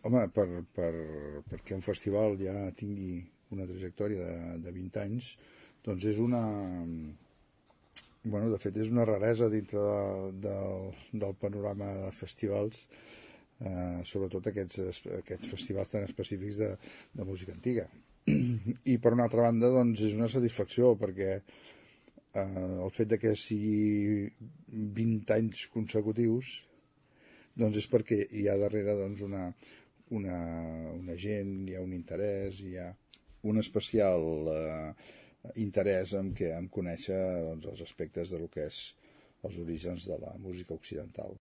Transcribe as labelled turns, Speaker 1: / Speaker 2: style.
Speaker 1: Home, perquè un festival ja tingui una trajectòria de 20 anys, doncs és una... Bueno, de fet, és una raresa dintre del panorama de festivals, sobretot aquests festivals tan específics de música antiga. I per una altra banda, doncs, és una satisfacció, perquè el fet de que sigui 20 anys consecutius, doncs és perquè hi ha darrere doncs, una gent, hi ha un interès, hi ha un especial interès en conèixer doncs, els aspectes del que és els orígens de la música occidental.